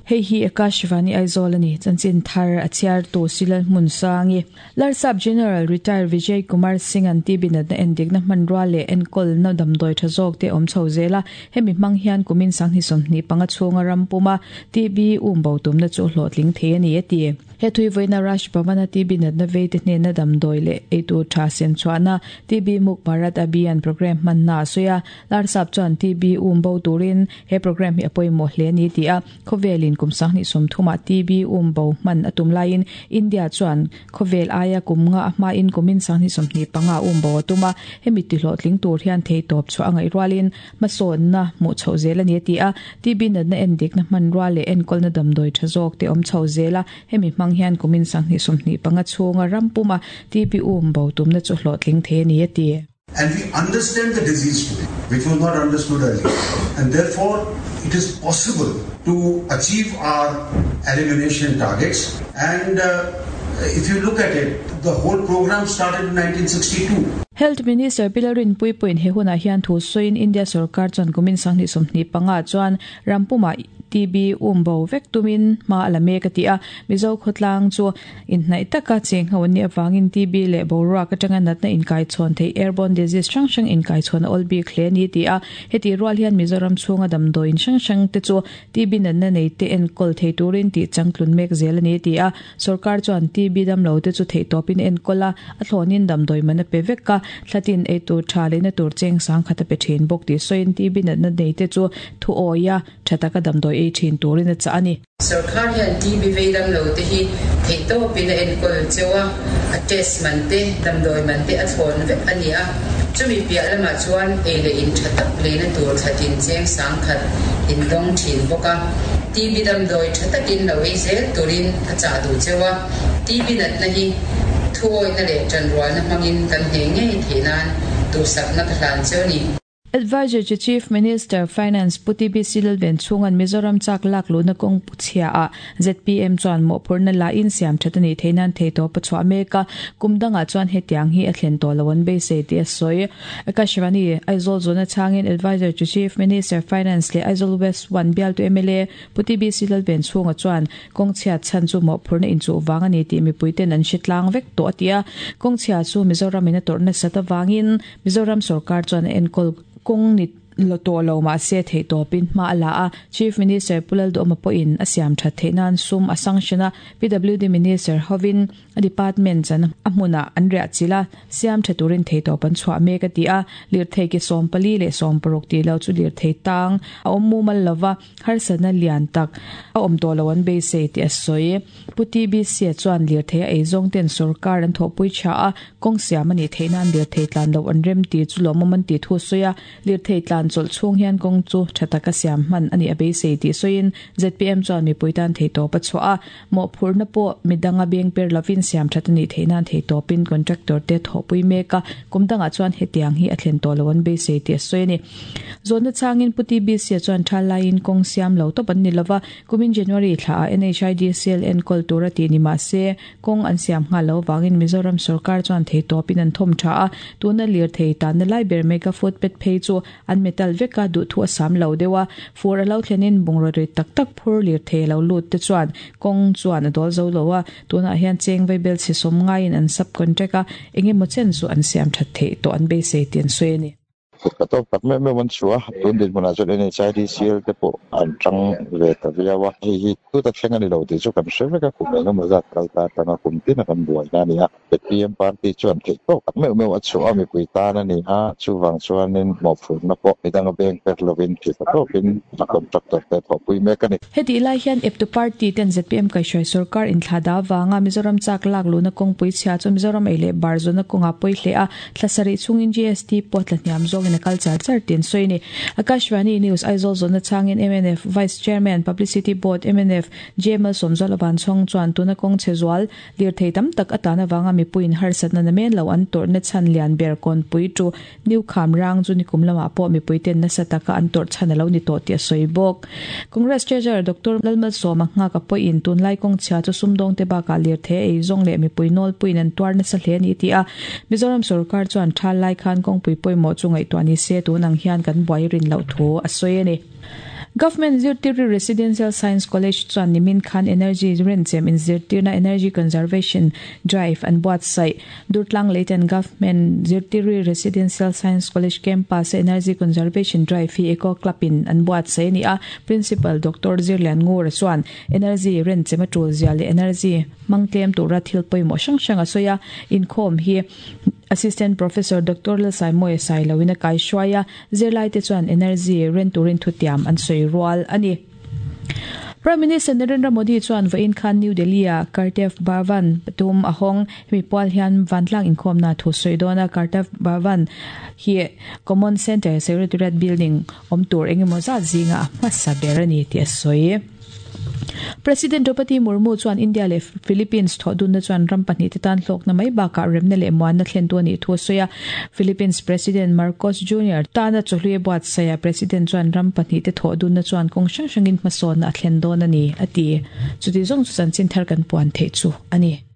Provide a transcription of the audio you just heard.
Hei hi Akashvani Aizawl a ni. Chanchin thar a chhiartu Silal Hmunsangi. Larsap General Retired Vijay Kumar Singh an TB natna endikna hmanrua leh enkawlna damdawi tha zawk te awm chho zel a. Hemi hmang hian kumin sanghnih 25 chhunga ram puma TB um bo tumna chu hlawhtling thei a ni a ti. He thui vawiina Raj Bhavan-a TB natna veite hnena damdawi leh eitur tha sem chhuahna TB Muk Bharat Abhiyan programme hmanna a sawi a. Larsap chuan TB um bo turin he programme hi a pawimawh hle a ni ti a. Khawvelin kum 2030ah TB um bo hman a tum laiin India chuan khawvel aia kum nga a hmain kumin 2025 um bo a tum a. Hemi tihlawhtling tur hian theitawp chhuah a ngaih rualin Hmasawnna hmuh chhoh zel a ni a ti a, TB natna endikna hmanrua leh enkawlna damdawi tha zawk te awm chho zel a, hemi hmang hian kumin 2025 chhunga ram puma TB um bo tumna chu hlawhtling thei a ni a ti. And we understand the disease today, which was not understood earlier, and therefore it is possible to achieve our elimination targets. And if you look at it, the whole program started in 1962. Health Minister Pi Lalrinpuii pawhin he hunah hian thu sawiin India sorkar chuan kumin 2025 chuan ram pumah TB um bo vek tumin hma a la mek a ti a. Mizo khawtlang chu inhnaih taka cheng ho an nih avangin TB leh boruak atanga natna inkaichhawn theih airborne disease hrang hrang inkaichhawn a awl bik hle a ni ti a. Hetih rual hian Mizoram chhunga damdawiin hrang hrang te chu TB natna nei te enkawl thei turin tih changtlun mek zel a ni ti a. Sorkar chuan TB damlo te chu theihtawpin enkawl a, a thlawnin damdawi man a pe vek a, thlatin eitur tha lehna tur cheng sang khat a pe thin bawk tih sawiin TB natna nei te chu thu awi a, tha taka damdawi ei thin turin a chah a ni. Sorkar hian TB vei damlo te hi theihtawpin a enkawl cheu a, a test man te, damdawi man te a thlawn vek a ni a, chumi piah lamah chuan ei leh in tha tak leina tur thlatin cheng sang khat indawng thin bawk a. TB damdawi tha takin lo ei zel turin ka chah duh cheu a, TB natna hi thuawihna leh tanrualna hmangin kan hneh ngei theih nan duhsakna ka hlan cheu a ni. Adviser chu Chief Minister, Finance, Pu TBC Lalvenchhunga'n Mizoram chak lak luhna kawng chhia ah zpm chuan mawhphurhna la in siam that a nih theih nan theihtawp a chhuah mek a, kum dangah chuan hetiang hi a thlen tawh lo an beisei tih a sawi. Akashvani, Aizawl zawhna chhangin Adviser to Chief Minister, Finance leh Aizawl West One bialtu mla Pu TBC Lalvenchhunga chuan kawngchhia chhan chu mawhphurhna inchuh vang a ni tih mipuiten an hre tlang vek tawh a ti a. Kawngchhia chu Mizoram in a tawrh nasat avangin Mizoram sorkar chuan a enkawl kawng ni tawh lo mahse theihtawpin hma a la a. Chief Minister Pu Lalduhawma pawhin a siam that theih nan sum a sanction a, PWD Minister hovin A department chan a hmunah an riah chilh a, siam tha turin theitawp an chhuah mek a ti a. Lirthei ke 14 leh 60 tih lo chu lirthei tang a awm mumal lova, harsatna lian tak a awm tawh lo an beisei tih a sawi. Pu TBC-a chuan lirthei a eizawng ten sorkar an thawhpui tha a, kawng siam a nih theih nan lirthei tlan loh an rem tih chu lawmawm an tih thu a sawi a. Lirthei tlan chawlh chhung hian kawng chu tha taka siam hman a nih a beisei tih sawiin zpm chuan mipui tan theitawp a chhuah a. Mawhphurhna pawh midanga beng per lovin siam that a nih theih nan theitawpin contractor te thawhpui mek a, kum dangah chuan hetiang hi a thlen tawh lo an beisei tih a sawi a ni. Zawhna changin Pu TBC-a chuan tha laiin kawng siam lo tawp an ni lova, kumin January thlaah NHIDCL enkawl tura tih ni mah se, kawng an siam nghal lo vangin Mizoram sorkar chuan theitawpin an thawm tha a, tuna lirthei tanna lai ber mega footpath phei chu An metal vek a, duhthu a sam lo deuh a. Fur a lo thlenin bungraw rit tak tak phur lirthei a lo lut te chuan kawng chuan a dawl zo lo a. Tunah hian cheng vaibel chhe sawm ngaiin an sub contract a, eng emaw chen chu an siam that theih tawh an beisei tih an sawi a ni. Kut ka tawp tak meuh meuh an chhuah a, tun dinhmunah chuan NHIDCL te pawh an tang ve ta viau a, hei hi tuta thleng a ni lo tih chu kan hre vek a, kum eng emaw zat kal ta atanga kum tina kan buaina a ni a. Zpm party chuan theih tawk tak meuh meuh a chhuah a, mipui tan a ni a, chuvang chuanin mawhphurhna pawh midang a beng per lovin thil tha tawkin a contractor te a thawhpui mek a ni. Hetih lai hian eptu party ten zpm kaihhruai sorkar inthlahdah avanga Mizoram chak lak luhna kawngpui chhia chu Mizoram ei leh bar zawhna kawngah pawi hle a, thla sarih chhungin GST pawh tla hniam zawngin a kal char char tih an sawi a ni. Akashvani News Aizawl zawhna chhangin mnf Vice Chairman, Publicity Board, mnf JML Sawmzuala Vanchhawng chuan tuna kawng chhe zual Lirthei tam tak a tan avanga mipuiin harsatna na men lo an tawrhna chhan lian ber kawnpui chu New Kham Rang chu nikum lamah pawh mipuiten nasa taka an tawrh chhan a lo ni tawh tih a sawi bawk. Congress Treasurer Doctor Lalmalsawma nghaka pawhin tunlai kawngchhia chu sumdawngte bakah lirthei a eizawng leh mipui nawlpuiin an tuar nasa hle a ni tih a Mizoram sorkar chuan tha lai khan kawngpui pawimawh chu ngaihtuah ni se tun ang hian kan buai rin loh thu a sawi a ni. Government Zirtiri Residential Science College chuan nimin khan Energy renchem inzirtirna Energy Conservation Drive an buatsaih. Durtlang Leitan Government Zirtiri Residential Science College campus a Energy Conservation Drive hi Eco Club in an buatsaih a ni a, Principal Doctor Zirlian Ngura chuan Energy renchem a tul zia leh energy hmang tlem tura thil pawimawh hrang hrang a sawi a, inkhawm hi Assistant Professor Doctor Lalsaimawia Sailoin a kaihruai a, zirlaite chuan energy ren turin thutiam an sawi rual a ni. Prime Minister Narendra Modi chuan vawiin khan New Delhi-a Kartev Bhavan pathum a hawng. Hemi pual hian vantlang inkhawmna thu sawi dawn a, Kartev Bhavan hi Common Centre Secretariat Building awm tur engemaw zat zinga a hmasa ber a ni tih a sawi. President Draupadi Murmu chuan India leh Philippines thawhdunna chuan ram pahnihte tan hlawkna mai bakah remna leh muanna thlentu a nih thu a sawi a. Philippines President Marcos Junior tana chawhlui a buatsaih a, President chuan ram pahnihte thawhdunna chuan kawng hrang hrangin hmasawnna a thlen dawn a ni, a ti. Chuti zawng chu chanchin thar kan puan theih chu a ni.